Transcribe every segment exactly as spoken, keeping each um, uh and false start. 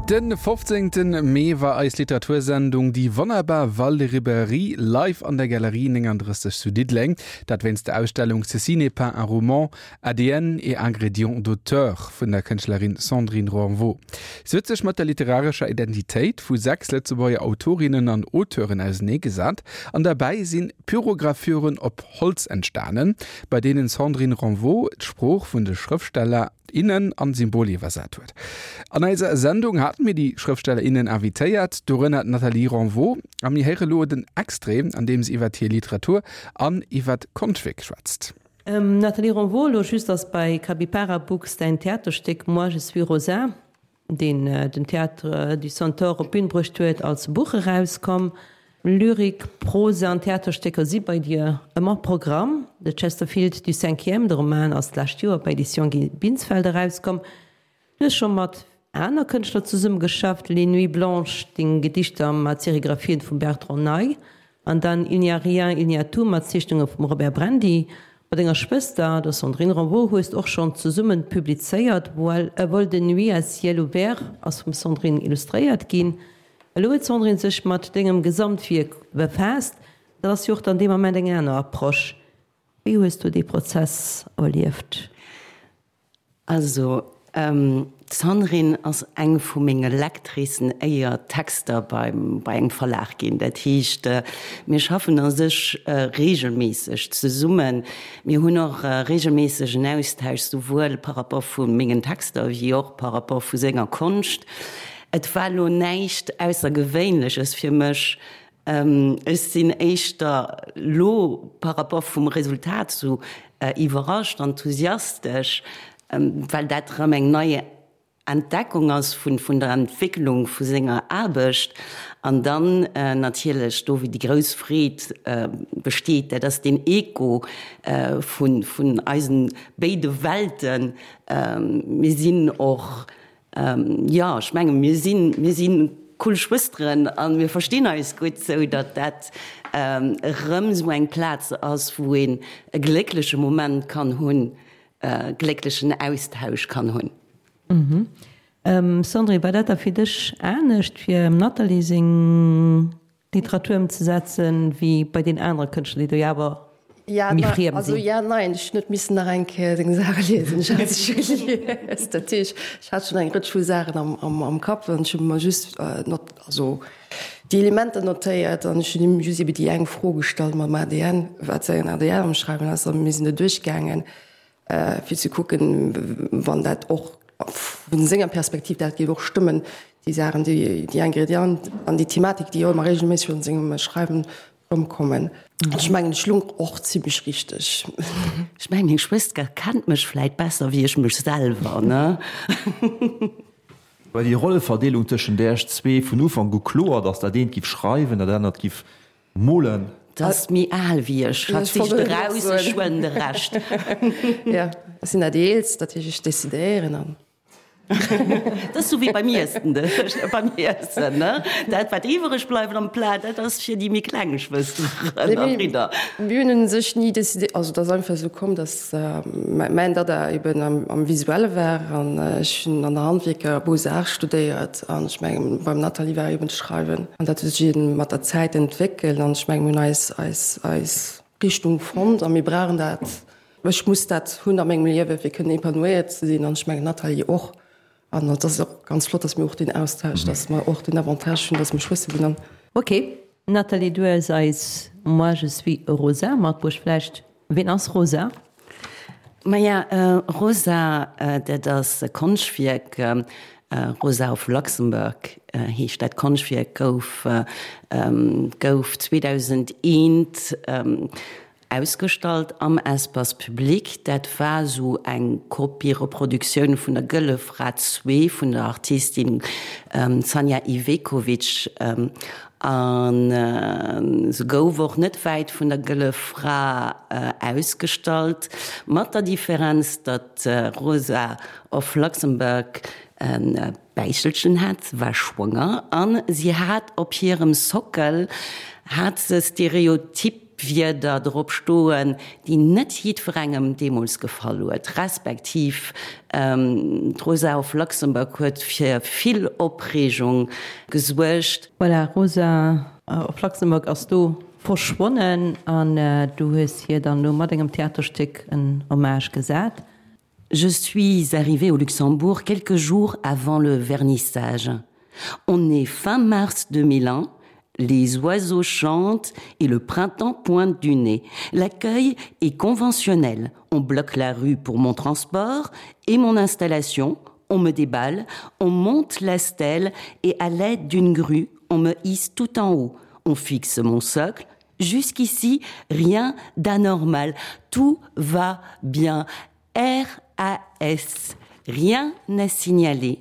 Den fofzéngten Mee war eis Literatursendung Déi wonnerbar Waldribberie live an der Galerie nénganddrësseg zu Diddeleng. Dat wéinst der Ausstellung Ceci n'est pas un roman, A D N et ingrédients d'auteur vun der Kënschtlerin Sandrine Renvaux. Si huet sech mat der literarescher Identitéit vu sechs Lëtzebuerger Autorinnen an Auteuren auserneegesat an derbäi si Pyrogravüren op Holz entstanen, bei deenen d'Sandrine Renvaux d'Sprooch vun de Schrëftsteller, innen an Symbol iwwersat huet. An eiser Sendung haten mir déi Schrëftsteller, innen invitéiert, dorënner d'Nathalie Renvaux, a mir héiere lo den Extrait, an deem si iwwer hir Literatur an iwwer d'Konschtwierk schwätzt. Ähm, Nathalie Renvaux, lo just ass bei Capypara Books däin Theaterstéck Moi je suis Rosa, deen äh, den Théâtre du Centaure op d'Bün bruecht huet, als Buch erauskomm. Lyrik, Prosa an Theaterstécker si bei dir ëmmer Programm. De Chesterfield du Cinquième, de Roman, ass d'lescht Joer bei Editions Guy Binsfeld erauskomm. Du hues scho mat aner Kënschtler zesummegeschafft, Les Nuits Blanches, deng Gedichter mat Serigraphien vum Bertrand Ney, an dann Il n'y a rien, il n'y a tout mat Zeechnunge vum Robert Brandy. Mat denger Schwëster, der Sandrine Renvaux, hues de och schonn zesumme publizéiert, Vol de nuit à ciel ouvert ass vum Sandrine illustréiert ginn. Elo huet d'Sandrine sech mat dengem Gesamtwierk befaasst. Dat ass jo och dann dee Moment eng aner Approche. Wéi hues du dee Prozess erlieft? Also, d'Sandrine ass eng vu menge Lectricen éier d'Texter beim, bei engem Verlag ginn. Dat heescht, mir schaffen a sech reegelméisseg zesummen. Mir hunn och reegelméisseg en Austausch, souwuel par rapport vu mengen Texter wéi och par rapport vu senger Konscht. Et war lo näischt Aussergewéinleches fir mech. Ech sinn éischter lo par rapport vum Resultat sou iwwerrascht, enthusiastesch, well dat erëm eng nei Entdeckung ass vun vun der Entwécklung vu senger Aarbecht. An dann natierlech do wou déi grouss Freed besteet, dat ass deen Echo vun vun eisen béide Welten. Mir sinn och Jo, ech menge mir sinn, mir si cool Schwësteren a mir verstinn eis gutt, sou datt dat erëm esou eng Plaz ass, wou een e gléckleche Moment kann hunn, e glécklechen Austausch kann hunn. Sandrine, war dat da fir dech anescht, fir dem Nathalie seng Literatur ëmzesetzen, wéi bei den anere Kënschtler, déi do jo awer Ja, méi na, friem also sinn? ja, nein, ech hunn net missen nach eng Kéier seng Saache liesen. Ech hat se scho gelies. Dat heescht, ech hat schonn eng Rëtsch vu Saachen am, am, am Kapp an ech hu mer just äh, not, also déi Elementer notéiert an ech hunn him just ebe déi eng Fro gestallt mam A D N, wat säin A D N am Schreiwen ass, a mir sinn do duerchgaangen, äh, fir ze kucken, wann dat och vun senger Perspektiv dat géif och stëmmen, déi Saachen, déi, déi Ingrédienten an déi Thematik, déi jo ëmmer regelméisseg an sengem Schreiwen erëmkommen. Ech mengen, ech lung och zimmlech richteg. Ech mengen, meng Schwëster kennt mech vläit besser wéi ech mech selwer, ne? War déi Rolleverdeelung tëschent Äech zwee vun Ufank u kloer, datt dat eent giff schreiwen, dat anert giff molen? T'ass méi al wéi ech, hatt sicht eraus, ech huelen de Rescht. Jo, ech sinn dat Eelst, dat heescht, ech decidéieren an. Dat ass sou wéi beim Iessen, beim Iessen, ne? Dat, wat iwwereg bleift am Plat, dat ass fir déi méi kleng Schwësteren a Bridder. Mir hunn u sech ni decidé, also et ass einfach esou komm, datt mäin Dada eben am Visuelle war an ech hunn an der Handwierker Beaux-Arts studéiert an ech mengen, beim Nathalie war eben d'Schreiwen an dat huet sech eben mat der Zäit entwéckelt an ech mengen, mir hunn eis, eis, eis Richtung fonnt a mir brauchen dat. Ech muss dat hunn a mengem Liewe fir kënnen épanouiert ze sinn an ech mengen d'Nathalie och. An et ass och ganz flott, datt mir och deen Austausch, datt mer och den Avantage hunn, datt mir Schwëster sinn an. Ok, Nathalie, du hues eis Moi je suis Rosa matbruecht. Vläicht, ween ass Rosa? Maja, Rosa, dat ass e Konschtwierk, Rosa of Luxembourg heescht dat Konschtwierk, gouf gouf zweedausendeent ausgestallt am Espace public. Dat war esou eng Kopie-Reproduktioun vun der Gëlle Fra zwee vun der Artistin Sanja Ivekovic. A se gouf och net wäit vun der Gëlle Fra ausgestallt, mat der Differenz, datt Rosa of Luxembourg e Bäichelchen hat, se war schwanger a si hat op hirem Sockel hat se Stereotyp, Wierder drop stoen, déi net jiddwerengem deemools gefall huet, respektiv d'Rosa of Luxembourg huet fir vill Opreegung gesuergt. Voilà, Rosa of Luxembourg ass do verschwonnen an du hues hir dann elo mat engem Theaterstéck en Hommage gesat. Je suis arrivée au Luxembourg quelques jours avant le vernissage. On est fin mars deux mille un, les oiseaux chantent et le printemps pointe du nez. L'accueil est conventionnel. On bloque la rue pour mon transport et mon installation, on me déballe, on monte la stèle et à l'aide d'une grue, on me hisse tout en haut. On fixe mon socle. Jusqu'ici, rien d'anormal. Tout va bien. R A S. Rien n'a signalé.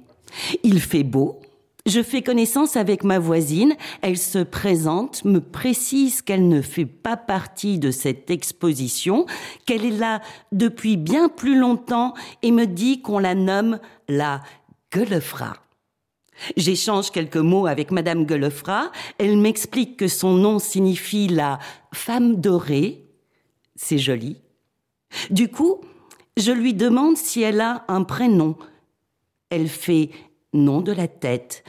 Il fait beau. Je fais connaissance avec ma voisine, elle se présente, me précise qu'elle ne fait pas partie de cette exposition, qu'elle est là depuis bien plus longtemps et me dit qu'on la nomme la Guelefra. J'échange quelques mots avec madame Guelefra, elle m'explique que son nom signifie la femme dorée. C'est joli. Du coup, je lui demande si elle a un prénom. Elle fait non de la tête.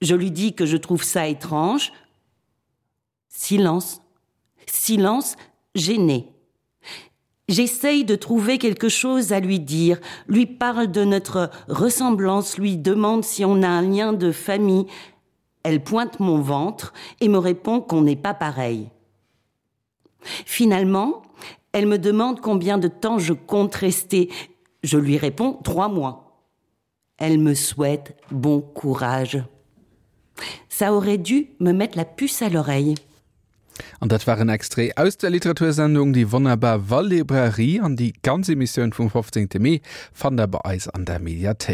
Je lui dis que je trouve ça étrange. Silence, silence gêné. J'essaye de trouver quelque chose à lui dire, lui parle de notre ressemblance, lui demande si on a un lien de famille. Elle pointe mon ventre et me répond qu'on n'est pas pareil. Finalement, elle me demande combien de temps je compte rester. Je lui réponds trois mois. Elle me souhaite bon courage. Ça aurait dû me mettre la puce à l'oreille. An dat war en Extrait aus der Literatursendung Die wunderbar Walllibrairie an déi ganz Emissioun vum fofzéngte Mee fannt der bei eis an der Mediathéik.